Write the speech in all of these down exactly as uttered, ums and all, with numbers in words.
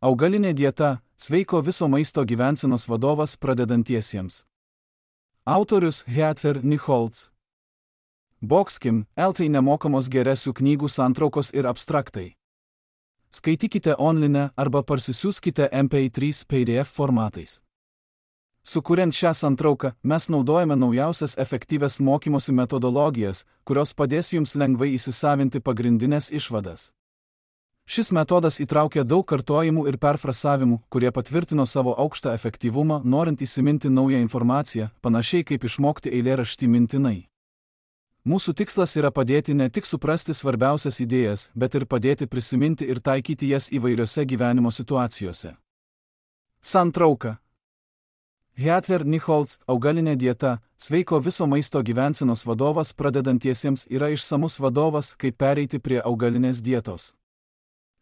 Augalinė dieta – sveiko viso maisto gyvensenos vadovas pradedantiesiems. Autorius Heather Nichols. Boxkim, L T nemokamos geresių knygų santraukos ir abstraktai. Skaitykite online arba parsisiųskite M P trys P D F formatais. Sukuriant šią santrauką, mes naudojame naujausias efektyvias mokymosi metodologijas, kurios padės jums lengvai įsisavinti pagrindinės išvadas. Šis metodas įtraukia daug kartojimų ir perfrasavimų, kurie patvirtino savo aukštą efektyvumą, norint įsiminti naują informaciją, panašiai kaip išmokti eilėraštį mintinai. Mūsų tikslas yra padėti ne tik suprasti svarbiausias idėjas, bet ir padėti prisiminti ir taikyti jas įvairiose gyvenimo situacijose. Santrauka. Heather Nichols, augalinė dieta, sveiko viso maisto gyvensenos vadovas pradedantiesiems yra išsamus vadovas, kaip pereiti prie augalinės dietos.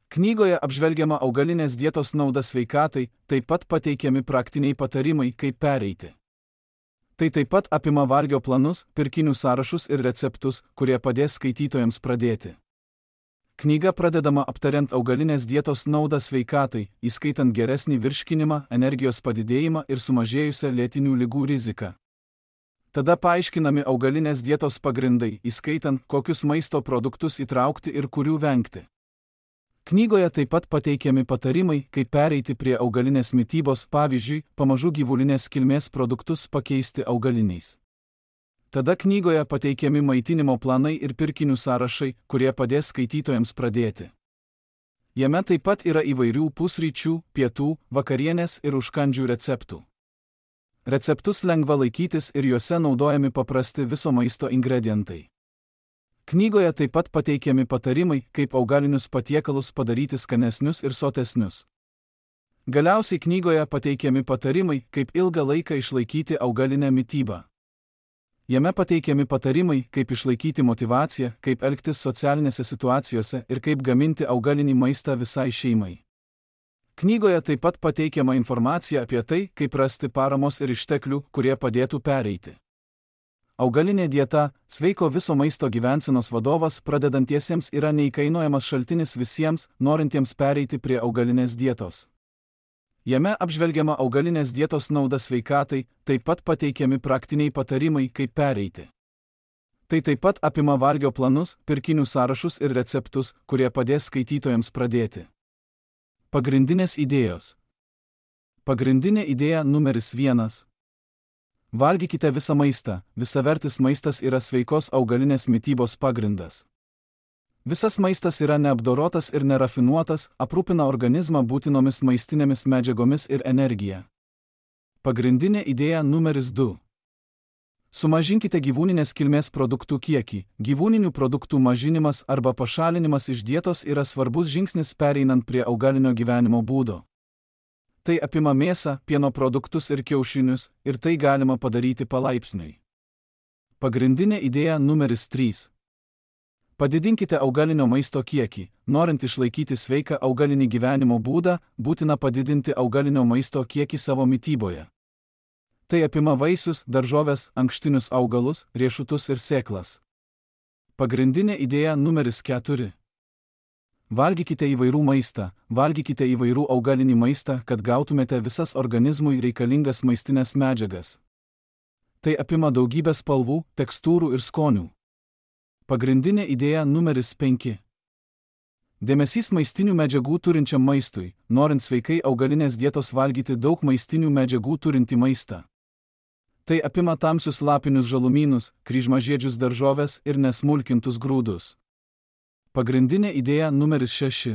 Knygoje apžvelgiama augalinės dietos nauda sveikatai, taip pat pateikiami praktiniai patarimai, kaip pereiti. Tai taip pat apima valgio planus, pirkinių sąrašus ir receptus, kurie padės skaitytojams pradėti. Knyga pradedama aptariant augalinės dietos naudą sveikatai, įskaitant geresnį virškinimą, energijos padidėjimą ir sumažėjusią lėtinių ligų riziką. Tada paaiškinami augalinės dietos pagrindai, įskaitant, kokius maisto produktus įtraukti ir kurių vengti. Knygoje taip pat pateikiami patarimai, kaip pereiti prie augalinės mitybos, pavyzdžiui, pamažu gyvulinės kilmės produktus pakeisti augaliniais. Tada knygoje pateikiami maitinimo planai ir pirkinių sąrašai, kurie padės skaitytojams pradėti. Jame taip pat yra įvairių pusryčių, pietų, vakarienės ir užkandžių receptų. Receptus lengva laikytis ir juose naudojami paprasti viso maisto ingredientai. Knygoje taip pat pateikiami patarimai, kaip augalinius patiekalus padaryti skanesnius ir sotesnius. Galiausiai knygoje pateikiami patarimai, kaip ilgą laiką išlaikyti augalinę mitybą. Jame pateikiami patarimai, kaip išlaikyti motyvaciją, kaip elgtis socialinėse situacijose ir kaip gaminti augalinį maistą visai šeimai. Knygoje taip pat pateikiama informacija apie tai, kaip rasti paramos ir išteklių, kurie padėtų pereiti. Augalinė dieta, sveiko viso maisto gyvensenos vadovas pradedantiesiems yra neįkainojamas šaltinis visiems, norintiems pereiti prie augalinės dietos. Jame apžvelgiama augalinės dietos nauda sveikatai, taip pat pateikiami praktiniai patarimai, kaip pereiti. Tai taip pat apima valgio planus, pirkinių sąrašus ir receptus, kurie padės skaitytojams pradėti. Pagrindinės idėjos. Pagrindinė idėja numeris vienas. Valgykite visą maistą, visavertis maistas yra sveikos augalinės mitybos pagrindas. Visas maistas yra neapdorotas ir nerafinuotas, aprūpina organizmą būtinomis maistinėmis medžiagomis ir energija. Pagrindinė idėja numeris du. Sumažinkite gyvūninės kilmės produktų kiekį. Gyvūninių produktų mažinimas arba pašalinimas iš dietos yra svarbus žingsnis pereinant prie augalinio gyvenimo būdo. Tai apima mėsą, pieno produktus ir kiaušinius, ir tai galima padaryti palaipsniui. Pagrindinė idėja numeris trys. Padidinkite augalinio maisto kiekį. Norint išlaikyti sveiką augalinį gyvenimo būdą, būtina padidinti augalinio maisto kiekį savo mityboje. Tai apima vaisius, daržoves, ankštinius augalus, riešutus ir sėklas. Pagrindinė idėja numeris keturi. Valgykite įvairių maistą, valgykite įvairių augalinį maistą, kad gautumėte visas organizmui reikalingas maistinės medžiagas. Tai apima daugybę spalvų, tekstūrų ir skonių. Pagrindinė idėja numeris penki. Dėmesys maistinių medžiagų turinčiam maistui, norint sveikai augalinės dietos valgyti daug maistinių medžiagų turintį maistą. Tai apima tamsius lapinius žalumynus, kryžmažiedžius daržoves ir nesmulkintus grūdus. Pagrindinė idėja numeris šeši.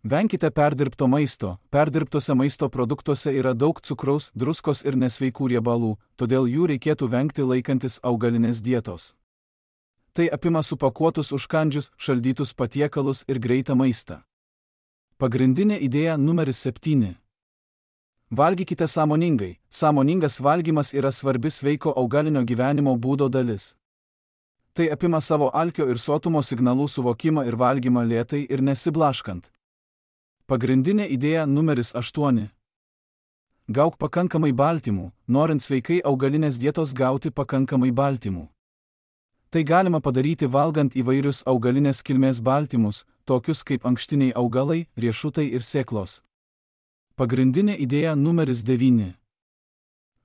Venkite perdirbto maisto. Perdirbtose maisto produktuose yra daug cukraus, druskos ir nesveikų riebalų, todėl jų reikėtų vengti laikantis augalinės dietos. Tai apima supakuotus užkandžius, šaldytus patiekalus ir greitą maistą. Pagrindinė idėja numeris septyni. Valgykite sąmoningai. Sąmoningas valgymas yra svarbi sveiko augalinio gyvenimo būdo dalis. Tai apima savo alkio ir sotumo signalų suvokimą ir valgymą lėtai ir nesiblaškant. Pagrindinė idėja numeris aštuoni. Gauk pakankamai baltymų, norint sveikai augalinės dietos gauti pakankamai baltymų. Tai galima padaryti valgant įvairius augalinės kilmės baltymus, tokius kaip ankštiniai augalai, riešutai ir sėklos. Pagrindinė idėja numeris devyni.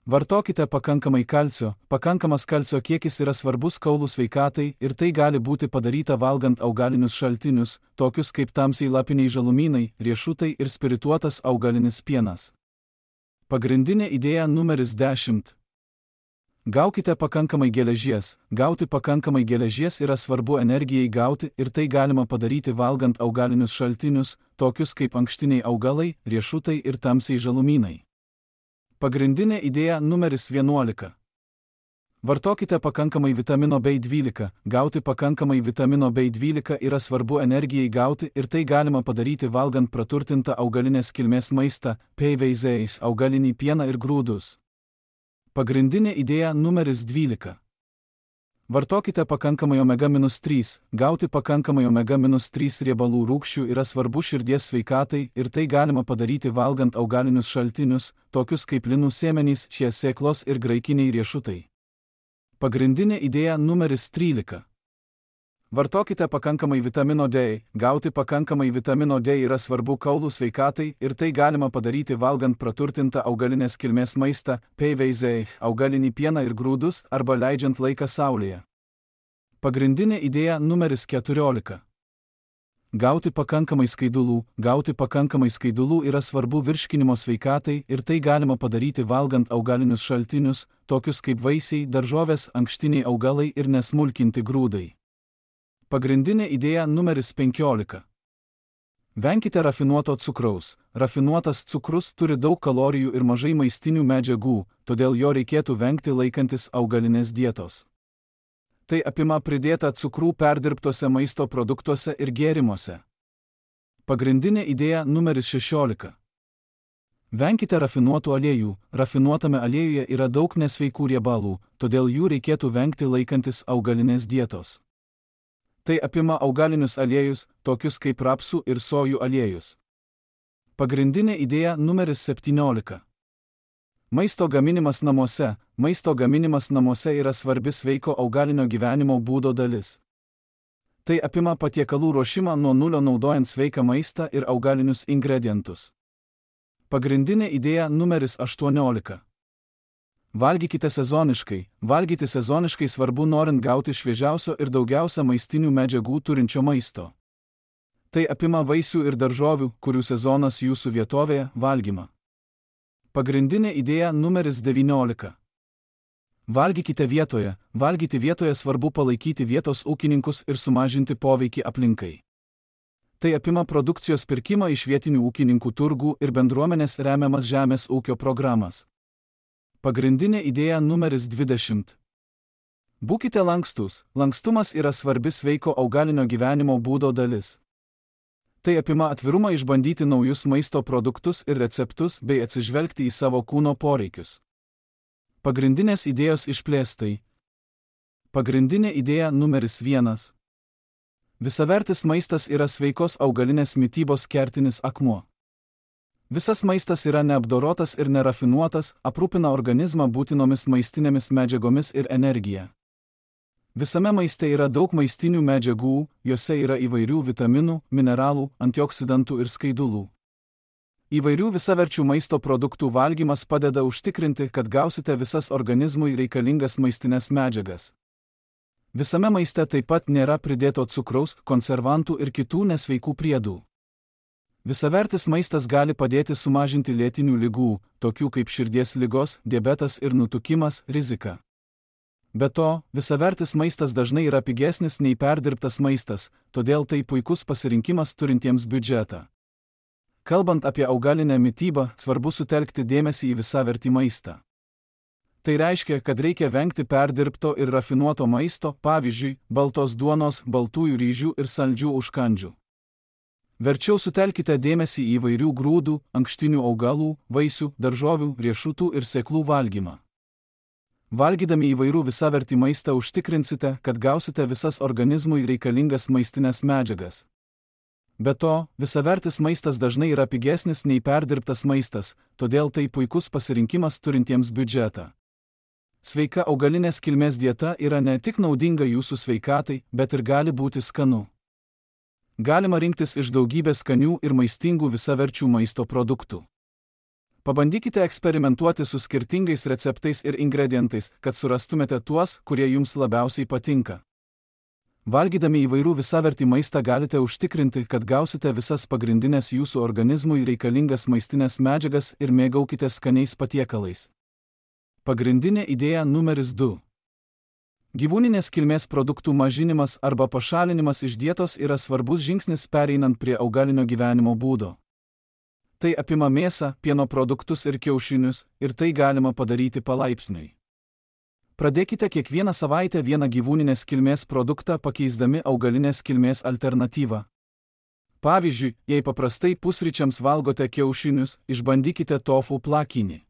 Vartokite pakankamai kalcio. Pakankamas kalcio kiekis yra svarbus kaulų sveikatai ir tai gali būti padaryta valgant augalinius šaltinius, tokius kaip tamsiai lapiniai žalumynai, riešutai ir spirituotas augalinis pienas. Pagrindinė idėja numeris dešimt. Gaukite pakankamai geležies. Gauti pakankamai geležies yra svarbu energijai gauti ir tai galima padaryti valgant augalinius šaltinius, tokius kaip ankštiniai augalai, riešutai ir tamsiai žalumynai. Pagrindinė idėja numeris vienuolika. Vartokite pakankamai vitamino B dvylika. Gauti pakankamai vitamino B dvylika yra svarbu energijai gauti ir tai galima padaryti valgant praturtintą augalinės kilmės maistą, P V Z, augalinį pieną ir grūdus. Pagrindinė idėja numeris dvylika. Vartokite pakankamai omega trys. Gauti pakankamai omega trys riebalų rūgščių yra svarbu širdies sveikatai ir tai galima padaryti valgant augalinius šaltinius, tokius kaip linų sėmenys, šie sėklos ir graikiniai riešutai. Pagrindinė idėja numeris trylika. Vartokite pakankamai vitamino D. Gauti pakankamai vitamino D yra svarbu kaulų sveikatai ir tai galima padaryti valgant praturtintą augalinės kilmės maistą, P V Z, augalinį pieną ir grūdus arba leidžiant laiką saulėje. Pagrindinė idėja numeris keturiolika. Gauti pakankamai skaidulų. Gauti pakankamai skaidulų yra svarbu virškinimo sveikatai ir tai galima padaryti valgant augalinius šaltinius, tokius kaip vaisiai, daržovės, ankštiniai augalai ir nesmulkinti grūdai. Pagrindinė idėja numeris penkiolika. Venkite rafinuoto cukraus. Rafinuotas cukrus turi daug kalorijų ir mažai maistinių medžiagų, todėl jo reikėtų vengti laikantis augalinės dietos. Tai apima pridėtą cukrų perdirbtuose maisto produktuose ir gėrimuose. Pagrindinė idėja numeris šešiolika. Venkite rafinuotų aliejų. Rafinuotame aliejuje yra daug nesveikų riebalų, todėl jų reikėtų vengti laikantis augalinės dietos. Tai apima augalinius aliejus, tokius kaip rapsų ir sojų aliejus. Pagrindinė idėja numeris septyniolika. Maisto gaminimas namuose. Maisto gaminimas namuose yra svarbi sveiko augalinio gyvenimo būdo dalis. Tai apima patiekalų ruošimą nuo nulio naudojant sveiką maistą ir augalinius ingredientus. Pagrindinė idėja numeris aštuoniolika. Valgykite sezoniškai. Valgyti sezoniškai svarbu norint gauti šviežiausio ir daugiausia maistinių medžiagų turinčio maisto. Tai apima vaisių ir daržovių, kurių sezonas jūsų vietovėje, valgymą. Pagrindinė idėja numeris devyniolika. Valgykite vietoje. Valgyti vietoje svarbu palaikyti vietos ūkininkus ir sumažinti poveikį aplinkai. Tai apima produkcijos pirkimą iš vietinių ūkininkų turgų ir bendruomenės remiamas žemės ūkio programas. Pagrindinė idėja numeris dvidešimt. Būkite lankstus. Lankstumas yra svarbi sveiko augalinio gyvenimo būdo dalis. Tai apima atvirumą išbandyti naujus maisto produktus ir receptus bei atsižvelgti į savo kūno poreikius. Pagrindinės idėjos išplėstai. Pagrindinė idėja numeris vienas. Visavertis maistas yra sveikos augalinės mitybos kertinis akmuo. Visas maistas yra neapdorotas ir nerafinuotas, aprūpina organizmą būtinomis maistinėmis medžiagomis ir energija. Visame maiste yra daug maistinių medžiagų, jose yra įvairių vitaminų, mineralų, antioksidantų ir skaidulų. Įvairių visaverčių maisto produktų valgymas padeda užtikrinti, kad gausite visas organizmui reikalingas maistinės medžiagas. Visame maiste taip pat nėra pridėto cukraus, konservantų ir kitų nesveikų priedų. Visavertis maistas gali padėti sumažinti lėtinių ligų, tokių kaip širdies ligos, diabetas ir nutukimas, riziką. Be to, visavertis maistas dažnai yra pigesnis nei perdirbtas maistas, todėl tai puikus pasirinkimas turintiems biudžetą. Kalbant apie augalinę mitybą, svarbu sutelkti dėmesį į visavertį maistą. Tai reiškia, kad reikia vengti perdirbto ir rafinuoto maisto, pavyzdžiui, baltos duonos, baltųjų ryžių ir saldžių užkandžių. Verčiau sutelkite dėmesį į įvairių grūdų, ankštinių augalų, vaisių, daržovių, riešutų ir sėklų valgymą. Valgydami įvairių visavertį maistą užtikrinsite, kad gausite visas organizmui reikalingas maistinės medžiagas. Be to, visavertis maistas dažnai yra pigesnis nei perdirbtas maistas, todėl tai puikus pasirinkimas turintiems biudžetą. Sveika augalinės kilmės dieta yra ne tik naudinga jūsų sveikatai, bet ir gali būti skanu. Galima rinktis iš daugybės skanių ir maistingų visaverčių maisto produktų. Pabandykite eksperimentuoti su skirtingais receptais ir ingredientais, kad surastumėte tuos, kurie jums labiausiai patinka. Valgydami įvairių visavertį maistą galite užtikrinti, kad gausite visas pagrindinės jūsų organizmui reikalingas maistinės medžiagas ir mėgaukite skaniais patiekalais. Pagrindinė idėja numeris du. Gyvūninės kilmės produktų mažinimas arba pašalinimas iš dietos yra svarbus žingsnis pereinant prie augalinio gyvenimo būdo. Tai apima mėsą, pieno produktus ir kiaušinius, ir tai galima padaryti palaipsniui. Pradėkite kiekvieną savaitę vieną gyvūninės kilmės produktą pakeisdami augalinės kilmės alternatyvą. Pavyzdžiui, jei paprastai pusryčiams valgote kiaušinius, išbandykite tofu plakinį.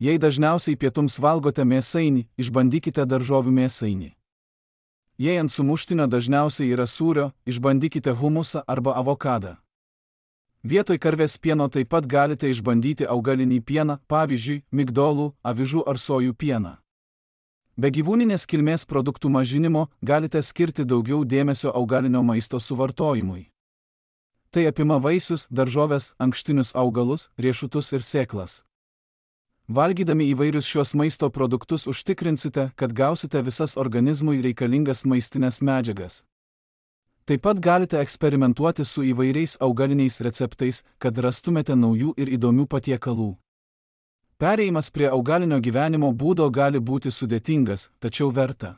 Jei dažniausiai pietums valgote mėsainį, išbandykite daržovių mėsainį. Jei ant sumuštinio dažniausiai yra sūrio, išbandykite humusą arba avokadą. Vietoj karvės pieno taip pat galite išbandyti augalinį pieną, pavyzdžiui, migdolų, avižų ar sojų pieną. Be gyvūninės kilmės produktų mažinimo galite skirti daugiau dėmesio augalinio maisto suvartojimui. Tai apima vaisius, daržoves, ankštinius augalus, riešutus ir sėklas. Valgydami įvairius šios maisto produktus užtikrinsite, kad gausite visas organizmui reikalingas maistinės medžiagas. Taip pat galite eksperimentuoti su įvairiais augaliniais receptais, kad rastumėte naujų ir įdomių patiekalų. Perėjimas prie augalinio gyvenimo būdo gali būti sudėtingas, tačiau verta.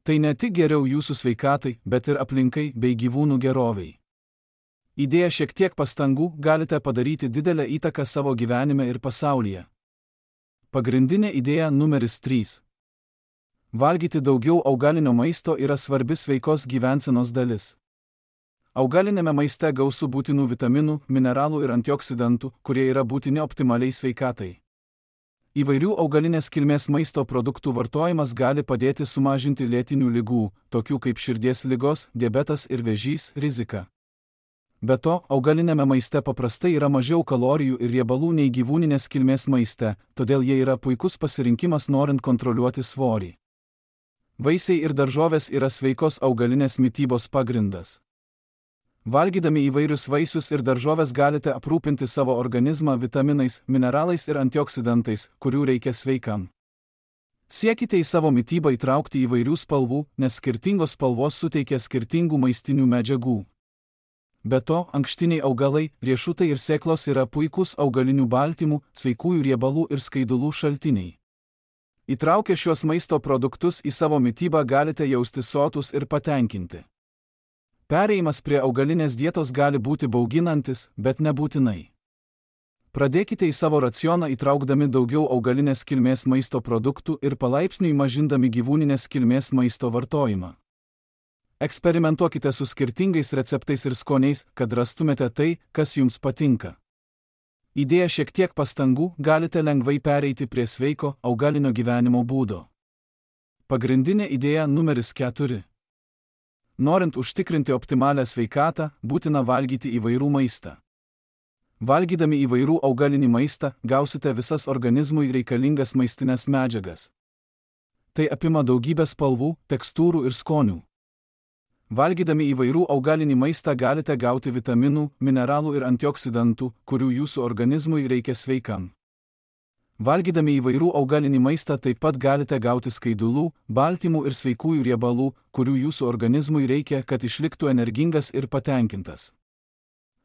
Tai ne tik geriau jūsų sveikatai, bet ir aplinkai bei gyvūnų gerovei. Įdėję šiek tiek pastangų galite padaryti didelę įtaką savo gyvenime ir pasaulyje. Pagrindinė idėja numeris trys. Valgyti daugiau augalinio maisto yra svarbi sveikos gyvensenos dalis. Augalinėme maiste gausu būtinų vitaminų, mineralų ir antioksidantų, kurie yra būtini optimaliai sveikatai. Įvairių augalinės kilmės maisto produktų vartojimas gali padėti sumažinti lėtinių ligų, tokių kaip širdies ligos, diabetas ir vėžys, riziką. Be to, augalinėme maiste paprastai yra mažiau kalorijų ir riebalų nei gyvūninės kilmės maiste, todėl jie yra puikus pasirinkimas norint kontroliuoti svorį. Vaisiai ir daržovės yra sveikos augalinės mitybos pagrindas. Valgydami įvairius vaisius ir daržovės galite aprūpinti savo organizmą vitaminais, mineralais ir antioksidantais, kurių reikia sveikam. Siekite į savo mitybą įtraukti įvairių spalvų, nes skirtingos spalvos suteikia skirtingų maistinių medžiagų. Be to, ankštiniai augalai, riešutai ir sėklos yra puikūs augalinių baltymų, sveikųjų riebalų ir skaidulų šaltiniai. Įtraukę šiuos maisto produktus į savo mitybą galite jaustis sotus ir patenkinti. Perėjimas prie augalinės dietos gali būti bauginantis, bet nebūtinai. Pradėkite į savo racioną įtraukdami daugiau augalinės kilmės maisto produktų ir palaipsniui mažindami gyvūninės kilmės maisto vartojimą. Eksperimentuokite su skirtingais receptais ir skoniais, kad rastumėte tai, kas jums patinka. Įdėję šiek tiek pastangų, galite lengvai pereiti prie sveiko augalinio gyvenimo būdo. Pagrindinė idėja numeris keturi. Norint užtikrinti optimalią sveikatą, būtina valgyti įvairų maistą. Valgydami įvairių augalinį maistą, gausite visas organizmui reikalingas maistinės medžiagas. Tai apima daugybę spalvų, tekstūrų ir skonių. Valgydami įvairių augalinį maistą galite gauti vitaminų, mineralų ir antioksidantų, kurių jūsų organizmui reikia sveikam. Valgydami įvairių augalinį maistą taip pat galite gauti skaidulų, baltymų ir sveikųjų riebalų, kurių jūsų organizmui reikia, kad išliktų energingas ir patenkintas.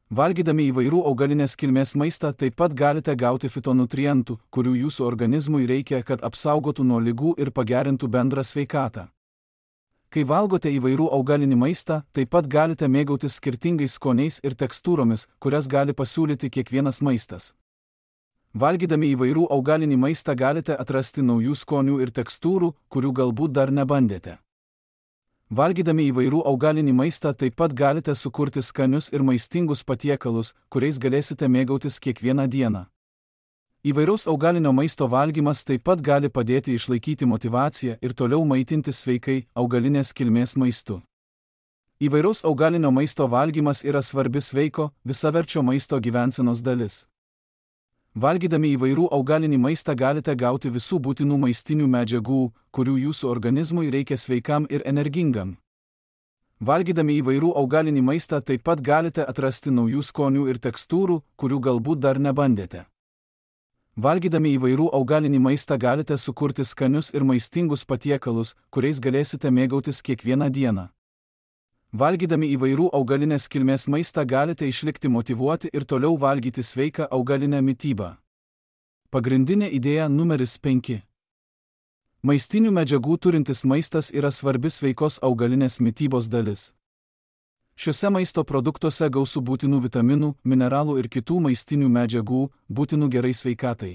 Valgydami įvairių augalinės kilmės maistą taip pat galite gauti fitonutrientų, kurių jūsų organizmui reikia, kad apsaugotų nuo ligų ir pagerintų bendrą sveikatą. Kai valgote įvairių augalinį maistą, taip pat galite mėgautis skirtingais skoniais ir tekstūromis, kurias gali pasiūlyti kiekvienas maistas. Valgydami įvairių augalinį maistą galite atrasti naujų skonių ir tekstūrų, kurių galbūt dar nebandėte. Valgydami įvairių augalinį maistą taip pat galite sukurti skanius ir maistingus patiekalus, kuriais galėsite mėgautis kiekvieną dieną. Įvairaus augalinio maisto valgymas taip pat gali padėti išlaikyti motyvaciją ir toliau maitintis sveikai augalinės kilmės maistu. Įvairaus augalinio maisto valgymas yra svarbi sveiko, visaverčio maisto gyvensenos dalis. Valgydami įvairių augalinį maistą galite gauti visų būtinų maistinių medžiagų, kurių jūsų organizmui reikia sveikam ir energingam. Valgydami įvairių augalinį maistą taip pat galite atrasti naujų skonių ir tekstūrų, kurių galbūt dar nebandėte. Valgydami įvairių augalinį maistą galite sukurti skanius ir maistingus patiekalus, kuriais galėsite mėgautis kiekvieną dieną. Valgydami įvairių augalinės kilmės maistą galite išlikti motyvuoti ir toliau valgyti sveiką augalinę mitybą. Pagrindinė idėja numeris penki. Maistinių medžiagų turintis maistas yra svarbi sveikos augalinės mitybos dalis. Šiuose maisto produktuose gausu būtinų vitaminų, mineralų ir kitų maistinių medžiagų, būtinų gerai sveikatai.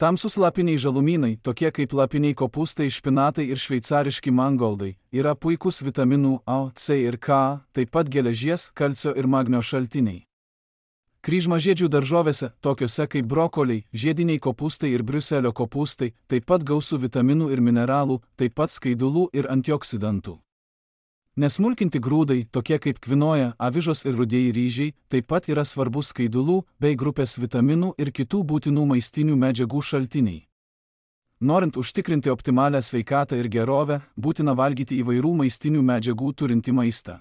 Tamsūs lapiniai žalumynai, tokie kaip lapiniai kopūstai, špinatai ir šveicariški mangoldai, yra puikūs vitaminų A, C ir K, taip pat geležies, kalcio ir magnio šaltiniai. Kryžmažiedžių daržovėse, tokiuose kaip brokoliai, žiediniai kopūstai ir briuselio kopūstai, taip pat gausu vitaminų ir mineralų, taip pat skaidulų ir antioksidantų. Nesmulkinti grūdai, tokie kaip kvinoja, avižos ir rudieji ryžiai, taip pat yra svarbus skaidulų bei grupės vitaminų ir kitų būtinų maistinių medžiagų šaltiniai. Norint užtikrinti optimalią sveikatą ir gerovę, būtina valgyti įvairių maistinių medžiagų turintį maistą.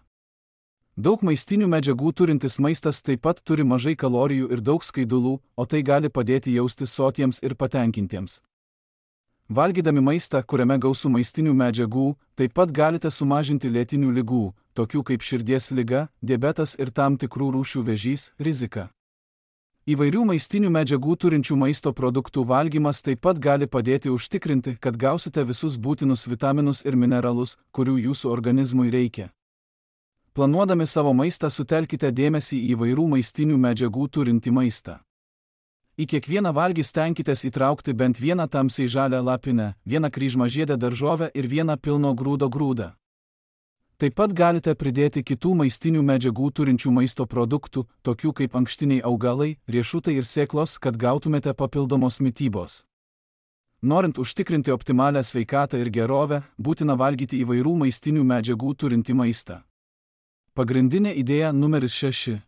Daug maistinių medžiagų turintis maistas taip pat turi mažai kalorijų ir daug skaidulų, o tai gali padėti jaustis sotiems ir patenkintiems. Valgydami maistą, kuriame gausu maistinių medžiagų, taip pat galite sumažinti lėtinių ligų, tokių kaip širdies liga, diabetas ir tam tikrų rūšių vėžys, riziką. Įvairių maistinių medžiagų turinčių maisto produktų valgymas taip pat gali padėti užtikrinti, kad gausite visus būtinus vitaminus ir mineralus, kurių jūsų organizmui reikia. Planuodami savo maistą sutelkite dėmesį į įvairių maistinių medžiagų turintį maistą. Į kiekvieną valgį stenkitės įtraukti bent vieną tamsiai žalią lapinę, vieną kryžmažiedę daržovę ir vieną pilno grūdo grūdą. Taip pat galite pridėti kitų maistinių medžiagų turinčių maisto produktų, tokių kaip ankštiniai augalai, riešutai ir sėklos, kad gautumėte papildomos mitybos. Norint užtikrinti optimalią sveikatą ir gerovę, būtina valgyti įvairių maistinių medžiagų turintį maistą. Pagrindinė idėja numeris šeši.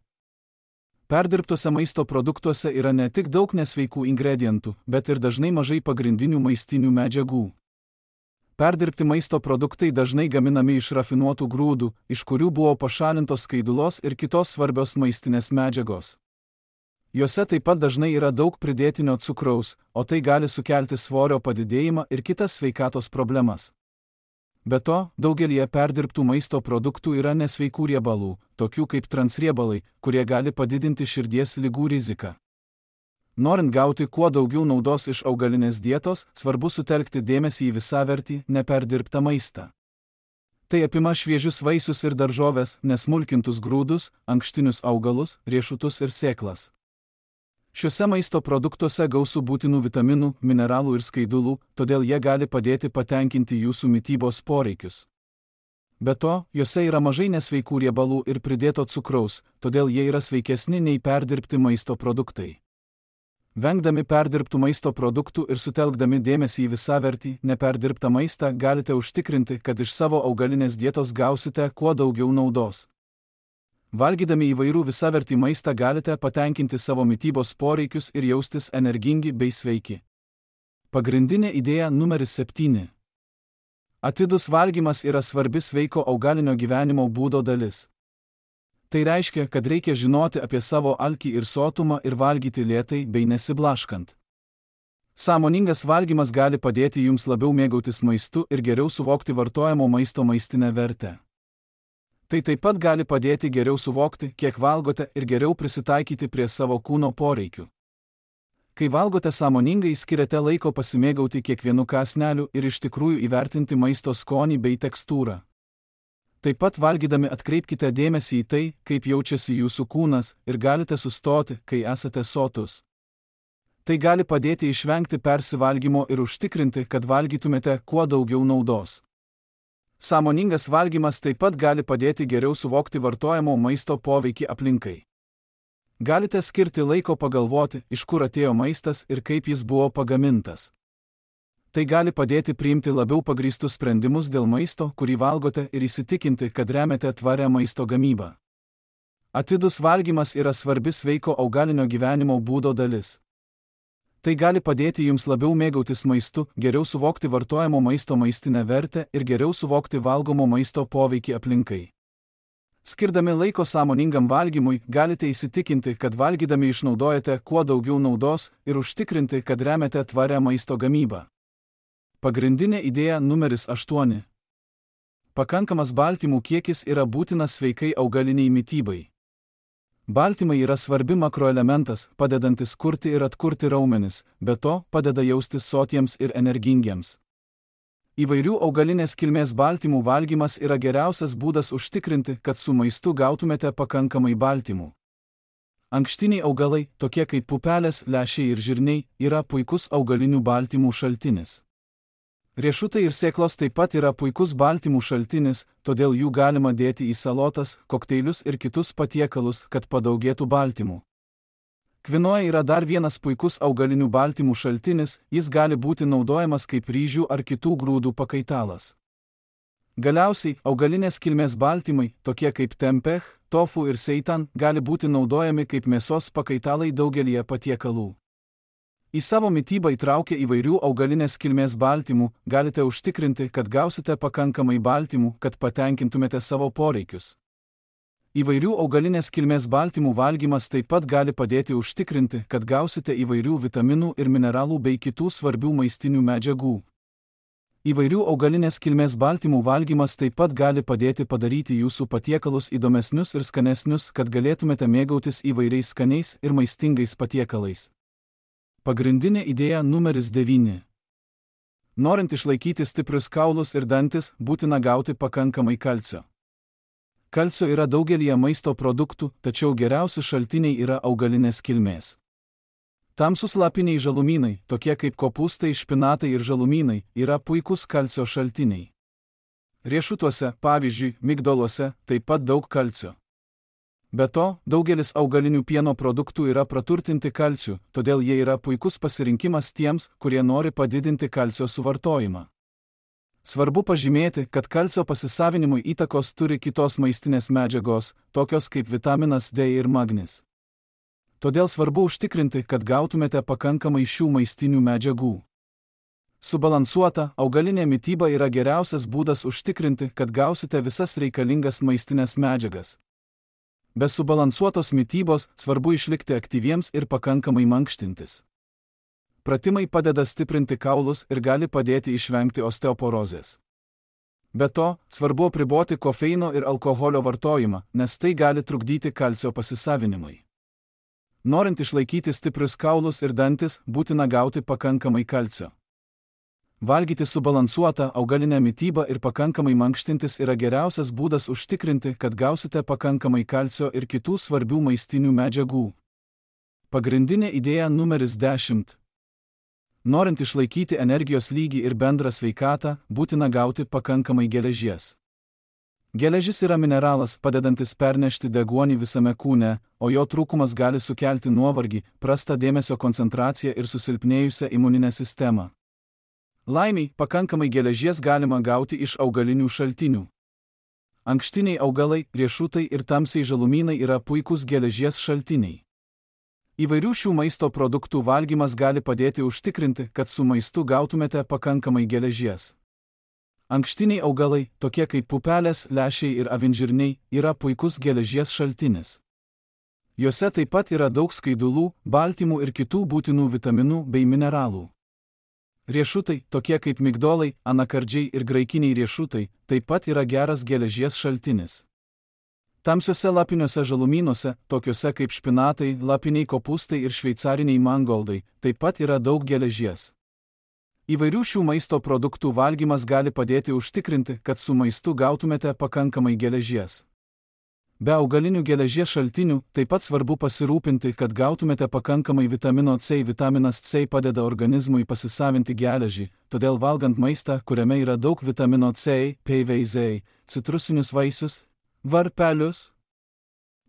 Perdirbtuose maisto produktuose yra ne tik daug nesveikų ingredientų, bet ir dažnai mažai pagrindinių maistinių medžiagų. Perdirbti maisto produktai dažnai gaminami iš rafinuotų grūdų, iš kurių buvo pašalintos skaidulos ir kitos svarbios maistinės medžiagos. Juose taip pat dažnai yra daug pridėtinio cukraus, o tai gali sukelti svorio padidėjimą ir kitas sveikatos problemas. Be to, daugelie perdirbtų maisto produktų yra nesveikų riebalų, tokių kaip transriebalai, kurie gali padidinti širdies ligų riziką. Norint gauti kuo daugiau naudos iš augalinės dietos, svarbu sutelkti dėmesį į visavertį, neperdirbtą maistą. Tai apima šviežius vaisius ir daržoves, nesmulkintus grūdus, ankštinius augalus, riešutus ir sėklas. Šiuose maisto produktuose gausu būtinų vitaminų, mineralų ir skaidulų, todėl jie gali padėti patenkinti jūsų mitybos poreikius. Be to, juose yra mažai nesveikų riebalų ir pridėto cukraus, todėl jie yra sveikesni nei perdirbti maisto produktai. Vengdami perdirbtų maisto produktų ir sutelkdami dėmesį į visavertį, neperdirbtą maistą, galite užtikrinti, kad iš savo augalinės dietos gausite kuo daugiau naudos. Valgydami įvairių visavertį maistą galite patenkinti savo mitybos poreikius ir jaustis energingi bei sveiki. Pagrindinė idėja numeris septyni. Atidus valgymas yra svarbi sveiko augalinio gyvenimo būdo dalis. Tai reiškia, kad reikia žinoti apie savo alkį ir sotumą ir valgyti lėtai bei nesiblaškant. Sąmoningas valgymas gali padėti jums labiau mėgautis maistu ir geriau suvokti vartojamo maisto maistinę vertę. Tai taip pat gali padėti geriau suvokti, kiek valgote ir geriau prisitaikyti prie savo kūno poreikių. Kai valgote sąmoningai, skiriate laiko pasimėgauti kiekvienu kąsneliu ir iš tikrųjų įvertinti maisto skonį bei tekstūrą. Taip pat valgydami atkreipkite dėmesį į tai, kaip jaučiasi jūsų kūnas ir galite sustoti, kai esate sotus. Tai gali padėti išvengti persivalgymo ir užtikrinti, kad valgytumėte kuo daugiau naudos. Sąmoningas valgymas taip pat gali padėti geriau suvokti vartojamo maisto poveikį aplinkai. Galite skirti laiko pagalvoti, iš kur atėjo maistas ir kaip jis buvo pagamintas. Tai gali padėti priimti labiau pagrįstus sprendimus dėl maisto, kurį valgote, ir įsitikinti, kad remiate tvarią maisto gamybą. Atidus valgymas yra svarbi sveiko augalinio gyvenimo būdo dalis. Tai gali padėti jums labiau mėgautis maistu, geriau suvokti vartojamo maisto maistinę vertę ir geriau suvokti valgomo maisto poveikį aplinkai. Skirdami laiko sąmoningam valgymui, galite įsitikinti, kad valgydami išnaudojate kuo daugiau naudos ir užtikrinti, kad remiate tvarią maisto gamybą. Pagrindinė idėja numeris aštuoni. Pakankamas baltymų kiekis yra būtinas sveikai augaliniai mitybai. Baltymai yra svarbi makroelementas, padedantis kurti ir atkurti raumenis, be to padeda jaustis sotiems ir energingiems. Įvairių augalinės kilmės baltymų valgymas yra geriausias būdas užtikrinti, kad su maistu gautumėte pakankamai baltymų. Ankštiniai augalai, tokie kaip pupelės, lęšiai ir žirniai, yra puikus augalinių baltymų šaltinis. Riešutai ir sėklos taip pat yra puikus baltymų šaltinis, todėl jų galima dėti į salotas, kokteilius ir kitus patiekalus, kad padaugėtų baltymų. Kvinoa yra dar vienas puikus augalinių baltymų šaltinis, jis gali būti naudojamas kaip ryžių ar kitų grūdų pakaitalas. Galiausiai, augalinės kilmės baltymai, tokie kaip tempeh, tofu ir seitan, gali būti naudojami kaip mėsos pakaitalai daugelyje patiekalų. Į savo mitybą įtraukę įvairių augalinės kilmės baltymų, galite užtikrinti, kad gausite pakankamai baltymų, kad patenkintumėte savo poreikius. Įvairių augalinės kilmės baltymų valgymas taip pat gali padėti užtikrinti, kad gausite įvairių vitaminų ir mineralų bei kitų svarbių maistinių medžiagų. Įvairių augalinės kilmės baltymų valgymas taip pat gali padėti padaryti jūsų patiekalus įdomesnius ir skanesnius, kad galėtumėte mėgautis įvairiais skaniais ir maistingais patiekalais. Pagrindinė idėja numeris devyni. Norint išlaikyti stiprius kaulus ir dantis, būtina gauti pakankamai kalcio. Kalcio yra daugelyje maisto produktų, tačiau geriausi šaltiniai yra augalinės kilmės. Tamsus lapiniai žalumynai, tokie kaip kopūstai, špinatai ir žalumynai, yra puikus kalcio šaltiniai. Riešutuose, pavyzdžiui, migdoluose, taip pat daug kalcio. Be to, daugelis augalinių pieno produktų yra praturtinti kalciu, todėl jie yra puikus pasirinkimas tiems, kurie nori padidinti kalcio suvartojimą. Svarbu pažymėti, kad kalcio pasisavinimui įtakos turi kitos maistinės medžiagos, tokios kaip vitaminas D ir magnis. Todėl svarbu užtikrinti, kad gautumėte pakankamai šių maistinių medžiagų. Subalansuota, augalinė mityba yra geriausias būdas užtikrinti, kad gausite visas reikalingas maistinės medžiagas. Be subalansuotos mitybos svarbu išlikti aktyviems ir pakankamai mankštintis. Pratimai padeda stiprinti kaulus ir gali padėti išvengti osteoporozės. Be to, svarbu apriboti kofeino ir alkoholio vartojimą, nes tai gali trukdyti kalcio pasisavinimui. Norint išlaikyti stiprius kaulus ir dantis, būtina gauti pakankamai kalcio. Valgyti subalansuotą augalinę mitybą ir pakankamai mankštintis yra geriausias būdas užtikrinti, kad gausite pakankamai kalcio ir kitų svarbių maistinių medžiagų. Pagrindinė idėja numeris dešimt. Norint išlaikyti energijos lygį ir bendrą sveikatą, būtina gauti pakankamai geležies. Geležis yra mineralas, padedantis pernešti deguonį visame kūne, o jo trūkumas gali sukelti nuovargį, prastą dėmesio koncentraciją ir susilpnėjusią imuninę sistemą. Laimiai, pakankamai geležies galima gauti iš augalinių šaltinių. Ankštiniai augalai, riešutai ir tamsiai žalumynai yra puikūs geležies šaltiniai. Įvairių šių maisto produktų valgymas gali padėti užtikrinti, kad su maistu gautumėte pakankamai geležies. Ankštiniai augalai, tokie kaip pupelės, lęšiai ir avinžirniai, yra puikus geležies šaltinis. Juose taip pat yra daug skaidulų, baltymų ir kitų būtinų vitaminų bei mineralų. Riešutai, tokie kaip migdolai, anakardžiai ir graikiniai riešutai, taip pat yra geras geležies šaltinis. Tamsiuose lapiniuose žalumynuose, tokiuose kaip špinatai, lapiniai kopūstai ir šveicariniai mangoldai, taip pat yra daug geležies. Įvairių šių maisto produktų valgymas gali padėti užtikrinti, kad su maistu gautumėte pakankamai geležies. Be augalinių geležies šaltinių, taip pat svarbu pasirūpinti, kad gautumėte pakankamai vitamino C. Vitaminas C padeda organizmui pasisavinti geležį, todėl valgant maistą, kuriame yra daug vitamino C, P V Z, citrusinius vaisius, varpelius,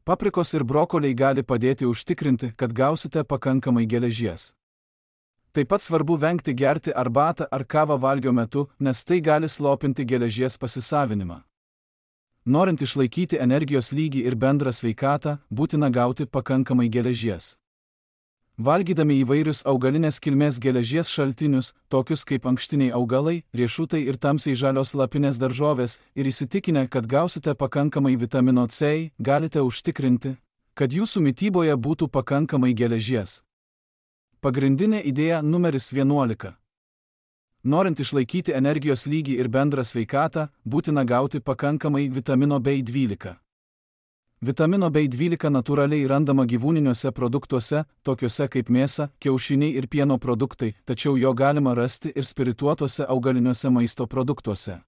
paprikos ir brokoliai gali padėti užtikrinti, kad gausite pakankamai geležies. Taip pat svarbu vengti gerti arbatą ar kavą valgio metu, nes tai gali slopinti geležies pasisavinimą. Norint išlaikyti energijos lygį ir bendrą sveikatą, būtina gauti pakankamai geležies. Valgydami įvairius augalinės kilmės geležies šaltinius, tokius kaip ankštiniai augalai, riešutai ir tamsiai žalios lapinės daržovės, ir įsitikinę, kad gausite pakankamai vitamino C, galite užtikrinti, kad jūsų mityboje būtų pakankamai geležies. Pagrindinė idėja numeris vienuolika. Norint išlaikyti energijos lygį ir bendrą sveikatą, būtina gauti pakankamai vitamino B dvylika. Vitamino B dvylika natūraliai randama gyvūniniuose produktuose, tokiuose kaip mėsa, kiaušiniai ir pieno produktai, tačiau jo galima rasti ir spirituotuose augaliniuose maisto produktuose.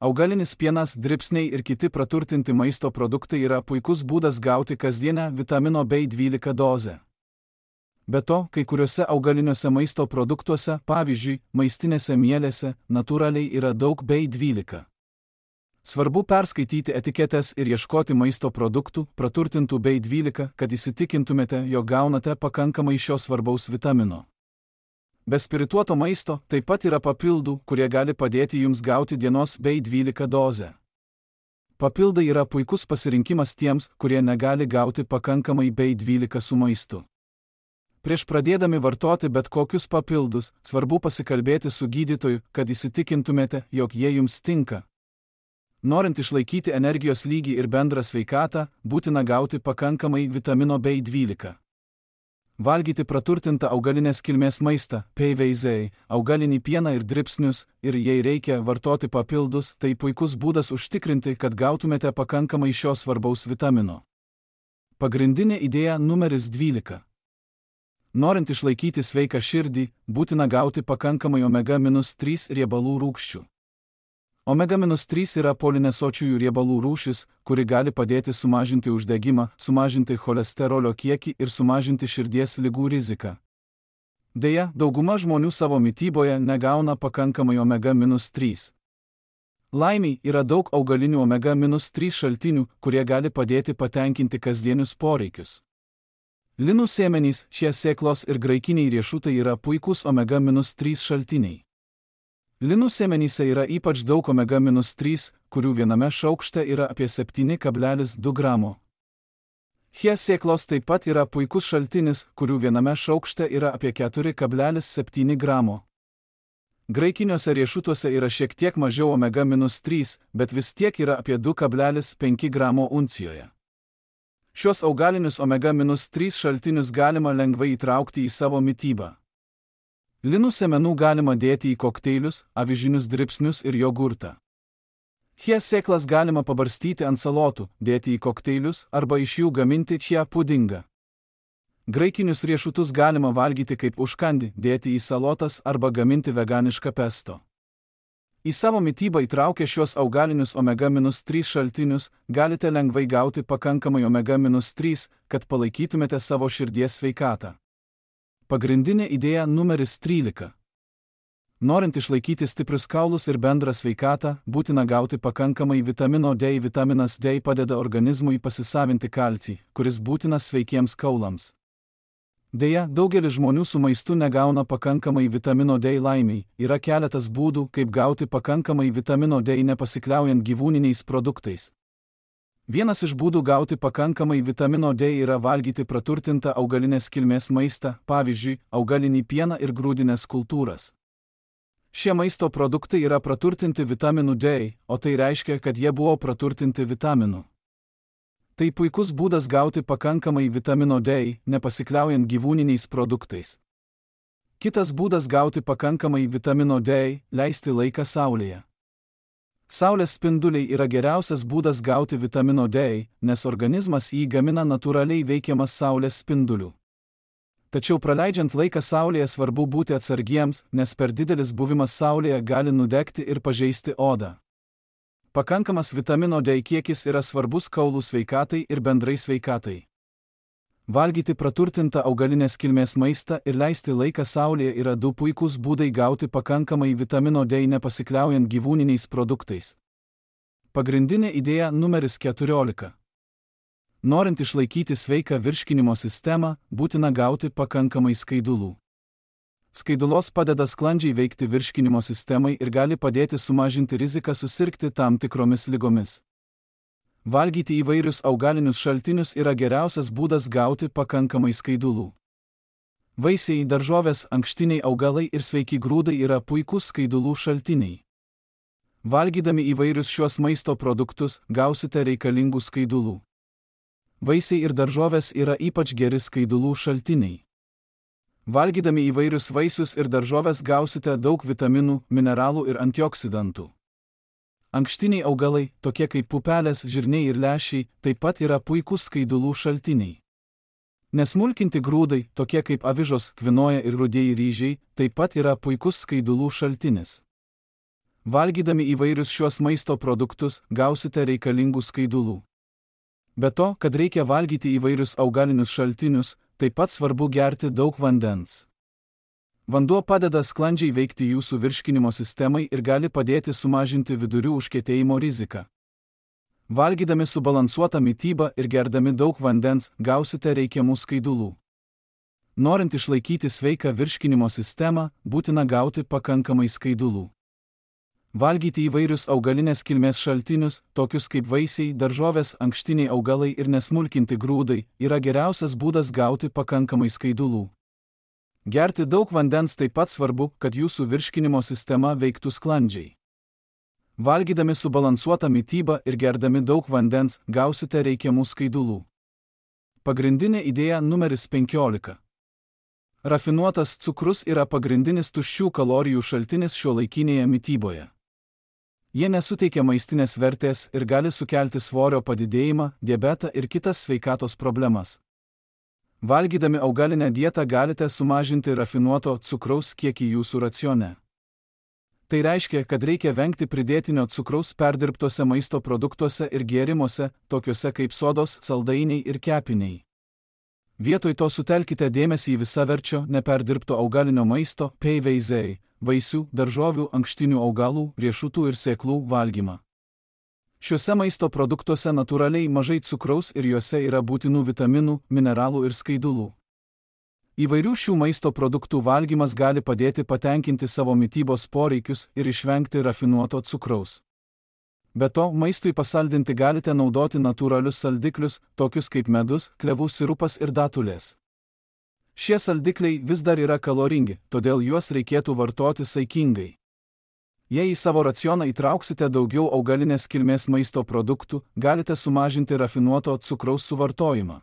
Augalinis pienas, dribsniai ir kiti praturtinti maisto produktai yra puikus būdas gauti kasdienę vitamino B dvylika dozę. Be to, kai kuriuose augaliniuose maisto produktuose, pavyzdžiui, maistinėse mielėse, natūraliai yra daug B dvylika. Svarbu perskaityti etiketes ir ieškoti maisto produktų, praturtintų B dvylika, kad įsitikintumėte, jog gaunate pakankamai šio svarbaus vitamino. Be spirituoto maisto taip pat yra papildų, kurie gali padėti jums gauti dienos B dvylika dozę. Papildai yra puikus pasirinkimas tiems, kurie negali gauti pakankamai B dvylika su maistu. Prieš pradėdami vartoti bet kokius papildus, svarbu pasikalbėti su gydytoju, kad įsitikintumėte, jog jie jums tinka. Norint išlaikyti energijos lygį ir bendrą sveikatą, būtina gauti pakankamai vitamino B dvylika. Valgyti praturtintą augalinės kilmės maistą, P V Z, augalinį pieną ir dribsnius, ir jei reikia vartoti papildus, tai puikus būdas užtikrinti, kad gautumėte pakankamai šio svarbaus vitamino. Pagrindinė idėja numeris dvylika. Norint išlaikyti sveiką širdį, būtina gauti pakankamai omega trys riebalų rūgščių. omega trys yra polinesočiųjų riebalų rūšis, kuri gali padėti sumažinti uždegimą, sumažinti cholesterolio kiekį ir sumažinti širdies ligų riziką. Deja, dauguma žmonių savo mityboje negauna pakankamai omega trys. Laimiai yra daug augalinių omega trys šaltinių, kurie gali padėti patenkinti kasdienius poreikius. Linų sėmenys, šie sėklos ir graikiniai riešutai yra puikūs omega trys šaltiniai. Linų sėmenyse yra ypač daug omega trys, kurių viename šaukšte yra apie septyni kablelis du gramo. Šie sėklos taip pat yra puikus šaltinis, kurių viename šaukšte yra apie keturi kablelis septyni gramo. Graikiniuose riešutuose yra šiek tiek mažiau omega trys, bet vis tiek yra apie du kablelis penki gramo uncijoje. Šios augalinius omega trys šaltinius galima lengvai įtraukti į savo mitybą. Linų sėmenų galima dėti į kokteilius, avižinius dribsnius ir jogurtą. Šie sėklas galima pabarstyti ant salotų, dėti į kokteilius arba iš jų gaminti šią pudingą. Graikinius riešutus galima valgyti kaip užkandį, dėti į salotas arba gaminti veganišką pesto. Į savo mitybą įtraukę šios augalinius omega trys šaltinius, galite lengvai gauti pakankamai omega trys, kad palaikytumėte savo širdies sveikatą. Pagrindinė idėja numeris trylika. Norint išlaikyti stiprius kaulus ir bendrą sveikatą, būtina gauti pakankamai vitamino D. Vitaminas D padeda organizmui pasisavinti kalcį, kuris būtinas sveikiems kaulams. Deja, daugelis žmonių su maistu negauna pakankamai vitamino D. Laimiai, yra keletas būdų, kaip gauti pakankamai vitamino D nepasikliaujant gyvūniniais produktais. Vienas iš būdų gauti pakankamai vitamino D yra valgyti praturtintą augalinės kilmės maistą, pavyzdžiui, augalinį pieną ir grūdines kultūras. Šie maisto produktai yra praturtinti vitaminu D, o tai reiškia, kad jie buvo praturtinti vitaminu. Tai puikus būdas gauti pakankamai vitamino D, nepasikliaujant gyvūniniais produktais. Kitas būdas gauti pakankamai vitamino D – leisti laiką saulėje. Saulės spinduliai yra geriausias būdas gauti vitamino D, nes organizmas jį gamina natūraliai veikiamas saulės spindulių. Tačiau praleidžiant laiką saulėje svarbu būti atsargiems, nes per didelis buvimas saulėje gali nudegti ir pažeisti odą. Pakankamas vitamino D kiekis yra svarbus kaulų sveikatai ir bendrai sveikatai. Valgyti praturtintą augalinės kilmės maistą ir leisti laiką saulėje yra du puikūs būdai gauti pakankamai vitamino D nepasikliaujant gyvūniniais produktais. Pagrindinė idėja numeris keturiolika. Norint išlaikyti sveiką virškinimo sistemą, būtina gauti pakankamai skaidulų. Skaidulos padeda sklandžiai veikti virškinimo sistemai ir gali padėti sumažinti riziką susirgti tam tikromis ligomis. Valgyti įvairius augalinius šaltinius yra geriausias būdas gauti pakankamai skaidulų. Vaisiai, daržovės, ankštiniai augalai ir sveiki grūdai yra puikūs skaidulų šaltiniai. Valgydami įvairius šiuos maisto produktus gausite reikalingų skaidulų. Vaisiai ir daržovės yra ypač geri skaidulų šaltiniai. Valgydami įvairius vaisius ir daržovės gausite daug vitaminų, mineralų ir antioksidantų. Ankštiniai augalai, tokie kaip pupelės, žirniai ir lęšiai, taip pat yra puikūs skaidulų šaltiniai. Nesmulkinti grūdai, tokie kaip avižos, kvinoja ir rudieji ryžiai, taip pat yra puikus skaidulų šaltinis. Valgydami įvairius šiuos maisto produktus gausite reikalingų skaidulų. Be to, kad reikia valgyti įvairius augalinius šaltinius, taip pat svarbu gerti daug vandens. Vanduo padeda sklandžiai veikti jūsų virškinimo sistemai ir gali padėti sumažinti vidurių užkietėjimo riziką. Valgydami subalansuotą mitybą ir gerdami daug vandens gausite reikiamų skaidulų. Norint išlaikyti sveiką virškinimo sistemą, būtina gauti pakankamai skaidulų. Valgyti įvairius augalinės kilmės šaltinius, tokius kaip vaisiai, daržovės, ankštiniai augalai ir nesmulkinti grūdai, yra geriausias būdas gauti pakankamai skaidulų. Gerti daug vandens taip pat svarbu, kad jūsų virškinimo sistema veiktų sklandžiai. Valgydami subalansuotą mitybą ir gerdami daug vandens gausite reikiamų skaidulų. Pagrindinė idėja numeris penkiolika. Rafinuotas cukrus yra pagrindinis tuščių kalorijų šaltinis šiuolaikinėje mityboje. Jie nesuteikia maistinės vertės ir gali sukelti svorio padidėjimą, diabetą ir kitas sveikatos problemas. Valgydami augalinę dietą galite sumažinti rafinuoto cukraus kiekį jūsų racione. Tai reiškia, kad reikia vengti pridėtinio cukraus perdirbtose maisto produktuose ir gėrimuose, tokiuose kaip sodos, saldainiai ir kepiniai. Vietoj to sutelkite dėmesį į visaverčio, neperdirbto augalinio maisto, P V Z, vaisių, daržovių, ankštinių augalų, riešutų ir sėklų valgymą. Šiuose maisto produktuose natūraliai mažai cukraus ir juose yra būtinų vitaminų, mineralų ir skaidulų. Įvairių šių maisto produktų valgymas gali padėti patenkinti savo mitybos poreikius ir išvengti rafinuoto cukraus. Be to, maistui pasaldinti galite naudoti natūralius saldiklius, tokius kaip medus, klevų sirupas ir datulės. Šie saldikliai vis dar yra kaloringi, todėl juos reikėtų vartoti saikingai. Jei į savo racioną įtrauksite daugiau augalinės kilmės maisto produktų, galite sumažinti rafinuoto cukraus suvartojimą.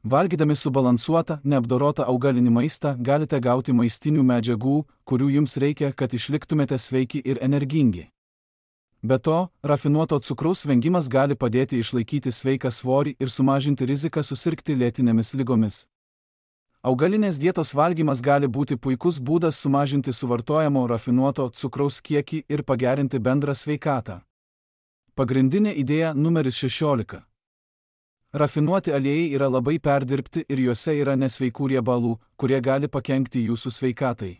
Valgydami subalansuotą, neapdorotą augalinį maistą galite gauti maistinių medžiagų, kurių jums reikia, kad išliktumėte sveiki ir energingi. Be to, rafinuoto cukraus vengimas gali padėti išlaikyti sveiką svorį ir sumažinti riziką susirgti lėtinėmis ligomis. Augalinės dietos valgymas gali būti puikus būdas sumažinti suvartojamo rafinuoto cukraus kiekį ir pagerinti bendrą sveikatą. Pagrindinė idėja numeris šešiolika. Rafinuoti aliejai yra labai perdirbti ir juose yra nesveikų riebalų, kurie gali pakenkti jūsų sveikatai.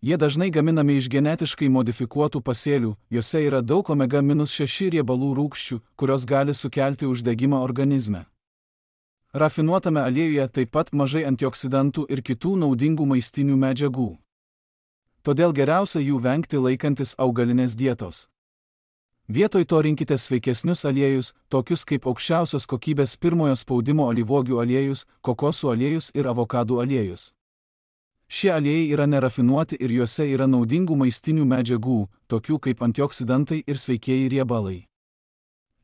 Jie dažnai gaminami iš genetiškai modifikuotų pasėlių, juose yra daug omega šeši riebalų rūgščių, kurios gali sukelti uždegimą organizme. Rafinuotame aliejuje taip pat mažai antioksidantų ir kitų naudingų maistinių medžiagų. Todėl geriausia jų vengti laikantis augalinės dietos. Vietoj to rinkite sveikesnius aliejus, tokius kaip aukščiausios kokybės pirmojo spaudimo alyvuogių aliejus, kokosų aliejus ir avokadų aliejus. Šie aliejai yra nerafinuoti ir juose yra naudingų maistinių medžiagų, tokių kaip antioksidantai ir sveikieji riebalai.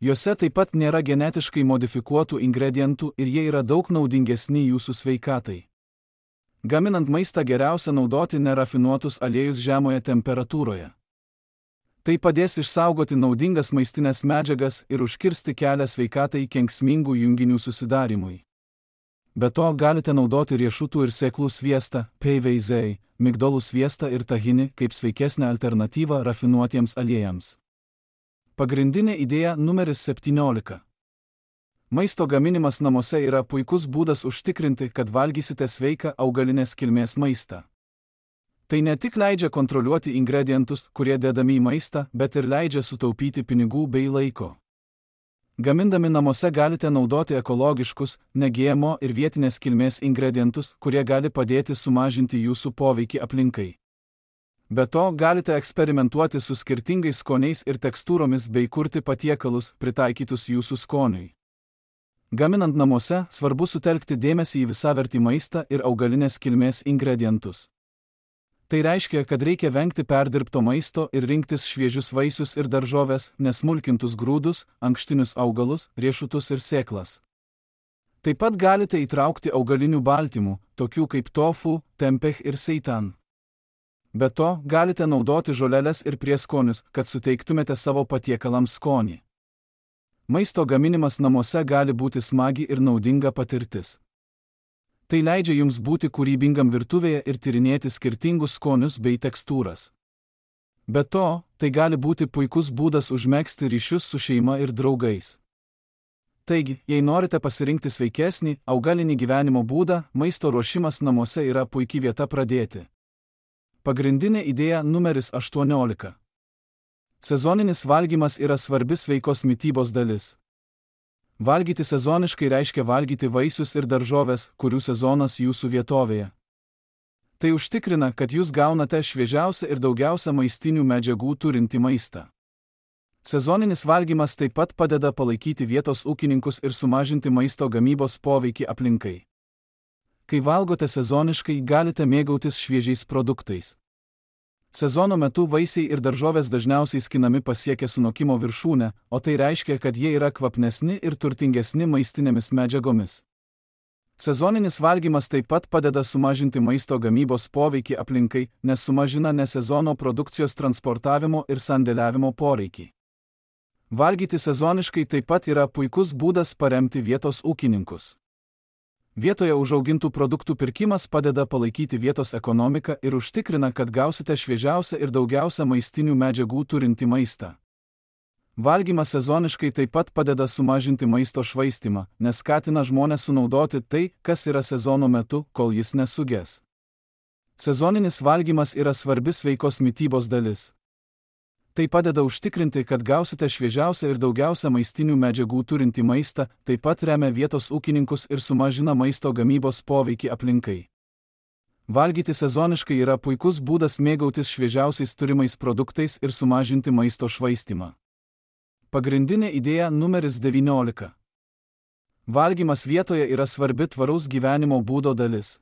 Juose taip pat nėra genetiškai modifikuotų ingredientų ir jie yra daug naudingesni jūsų sveikatai. Gaminant maistą geriausia naudoti nerafinuotus aliejus žemoje temperatūroje. Tai padės išsaugoti naudingas maistinės medžiagas ir užkirsti kelią sveikatai kenksmingų junginių susidarimui. Be to galite naudoti riešutų ir sėklų sviestą, P V Z, migdolų sviestą ir tahinį kaip sveikesnę alternatyvą rafinuotiems aliejams. Pagrindinė idėja numeris septyniolika. Maisto gaminimas namuose yra puikus būdas užtikrinti, kad valgysite sveiką augalinės kilmės maistą. Tai ne tik leidžia kontroliuoti ingredientus, kurie dedami į maistą, bet ir leidžia sutaupyti pinigų bei laiko. Gamindami namuose galite naudoti ekologiškus, ne G M O ir vietinės kilmės ingredientus, kurie gali padėti sumažinti jūsų poveikį aplinkai. Be to, galite eksperimentuoti su skirtingais skoniais ir tekstūromis bei kurti patiekalus, pritaikytus jūsų skoniui. Gaminant namuose svarbu sutelkti dėmesį į visavertį maistą ir augalinės kilmės ingredientus. Tai reiškia, kad reikia vengti perdirbto maisto ir rinktis šviežius vaisius ir daržoves, nesmulkintus grūdus, ankštinius augalus, riešutus ir sėklas. Taip pat galite įtraukti augalinių baltymų, tokių kaip tofu, tempeh ir seitan. Be to, galite naudoti žoleles ir prieskonius, kad suteiktumėte savo patiekalams skonį. Maisto gaminimas namuose gali būti smagi ir naudinga patirtis. Tai leidžia jums būti kūrybingam virtuvėje ir tyrinėti skirtingus skonius bei tekstūras. Be to, tai gali būti puikus būdas užmegzti ryšius su šeima ir draugais. Taigi, jei norite pasirinkti sveikesnį, augalinį gyvenimo būdą, maisto ruošimas namuose yra puikia vieta pradėti. Pagrindinė idėja numeris aštuoniolika. Sezoninis valgymas yra svarbi sveikos mitybos dalis. Valgyti sezoniškai reiškia valgyti vaisius ir daržoves, kurių sezonas jūsų vietovėje. Tai užtikrina, kad jūs gaunate šviežiausią ir daugiausia maistinių medžiagų turintį maistą. Sezoninis valgymas taip pat padeda palaikyti vietos ūkininkus ir sumažinti maisto gamybos poveikį aplinkai. Kai valgote sezoniškai, galite mėgautis šviežiais produktais. Sezono metu vaisiai ir daržovės dažniausiai skinami pasiekę sunokimo viršūnę, o tai reiškia, kad jie yra kvapnesni ir turtingesni maistinėmis medžiagomis. Sezoninis valgymas taip pat padeda sumažinti maisto gamybos poveikį aplinkai, nes sumažina nesezono produkcijos transportavimo ir sandėliavimo poreikį. Valgyti sezoniškai taip pat yra puikus būdas paremti vietos ūkininkus. Vietoje užaugintų produktų pirkimas padeda palaikyti vietos ekonomiką ir užtikrina, kad gausite šviežiausią ir daugiausia maistinių medžiagų turintį maistą. Valgymas sezoniškai taip pat padeda sumažinti maisto švaistymą, nes skatina žmones sunaudoti tai, kas yra sezono metu, kol jis nesuges. Sezoninis valgymas yra svarbi sveikos mitybos dalis. Tai padeda užtikrinti, kad gausite šviežiausią ir daugiausia maistinių medžiagų turintį maistą, taip pat remia vietos ūkininkus ir sumažina maisto gamybos poveikį aplinkai. Valgyti sezoniškai yra puikus būdas mėgautis šviežiausiais turimais produktais ir sumažinti maisto švaistymą. Pagrindinė idėja numeris devyniolika. Valgymas vietoje yra svarbi tvaraus gyvenimo būdo dalis.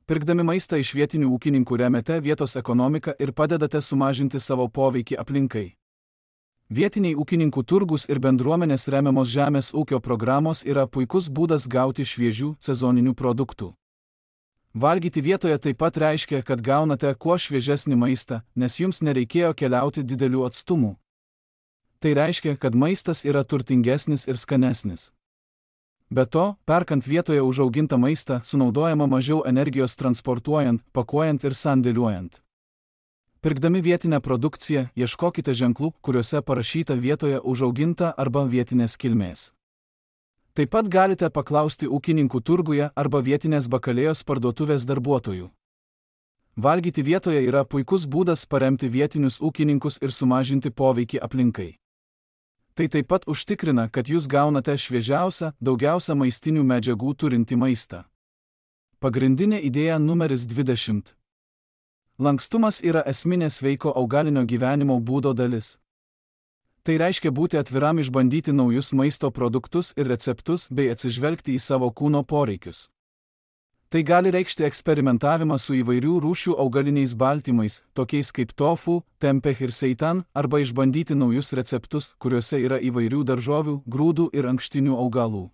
Pirkdami maistą iš vietinių ūkininkų remiate vietos ekonomiką ir padedate sumažinti savo poveikį aplinkai. Vietiniai ūkininkų turgus ir bendruomenės remiamos žemės ūkio programos yra puikus būdas gauti šviežių sezoninių produktų. Valgyti vietoje taip pat reiškia, kad gaunate kuo šviežesnį maistą, nes jums nereikėjo keliauti didelių atstumų. Tai reiškia, kad maistas yra turtingesnis ir skanesnis. Be to, perkant vietoje užaugintą maistą, sunaudojama mažiau energijos transportuojant, pakuojant ir sandėliuojant. Pirkdami vietinę produkciją, ieškokite ženklų, kuriuose parašyta vietoje užauginta arba vietinės kilmės. Taip pat galite paklausti ūkininkų turguje arba vietinės bakalėjos parduotuvės darbuotojų. Valgyti vietoje yra puikus būdas paremti vietinius ūkininkus ir sumažinti poveikį aplinkai. Tai taip pat užtikrina, kad jūs gaunate šviežiausią, daugiausia maistinių medžiagų turintį maistą. Pagrindinė idėja numeris dvidešimt. Lankstumas yra esminė sveiko augalinio gyvenimo būdo dalis. Tai reiškia būti atviram išbandyti naujus maisto produktus ir receptus bei atsižvelgti į savo kūno poreikius. Tai gali reikšti eksperimentavimą su įvairių rūšių augaliniais baltymais, tokiais kaip tofu, tempeh ir seitan, arba išbandyti naujus receptus, kuriuose yra įvairių daržovių, grūdų ir ankštinių augalų.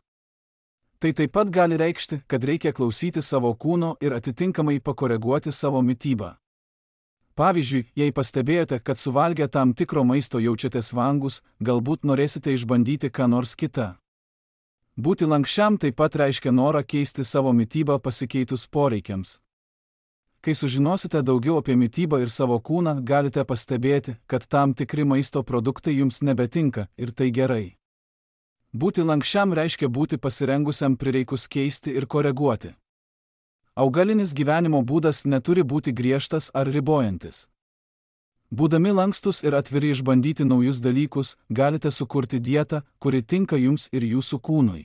Tai taip pat gali reikšti, kad reikia klausyti savo kūno ir atitinkamai pakoreguoti savo mitybą. Pavyzdžiui, jei pastebėjote, kad suvalgę tam tikro maisto jaučiatės vangus, galbūt norėsite išbandyti ką nors kitą. Būti lankščiam taip pat reiškia norą keisti savo mitybą pasikeitus poreikiams. Kai sužinosite daugiau apie mitybą ir savo kūną, galite pastebėti, kad tam tikri maisto produktai jums nebetinka ir tai gerai. Būti lankščiam reiškia būti pasirengusiam prireikus keisti ir koreguoti. Augalinis gyvenimo būdas neturi būti griežtas ar ribojantis. Būdami lankstus ir atviri išbandyti naujus dalykus, galite sukurti dietą, kuri tinka jums ir jūsų kūnui.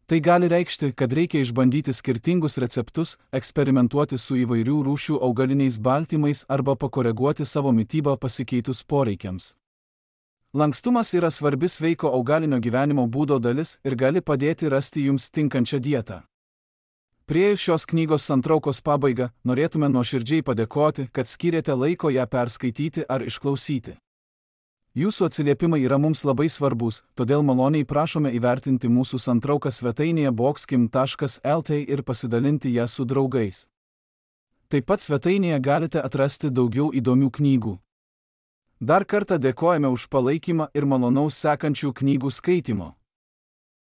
Tai gali reikšti, kad reikia išbandyti skirtingus receptus, eksperimentuoti su įvairių rūšių augaliniais baltymais arba pakoreguoti savo mitybą pasikeitus poreikiams. Lankstumas yra svarbi sveiko augalinio gyvenimo būdo dalis ir gali padėti rasti jums tinkančią dietą. Priėjus šios knygos santraukos pabaigą, norėtume nuoširdžiai padėkoti, kad skyrėte laiko ją perskaityti ar išklausyti. Jūsų atsiliepimai yra mums labai svarbus, todėl maloniai prašome įvertinti mūsų santrauką svetainėje boxkim taškas el t ir pasidalinti ją su draugais. Taip pat svetainėje galite atrasti daugiau įdomių knygų. Dar kartą dėkojame už palaikymą ir malonaus sekančių knygų skaitymo.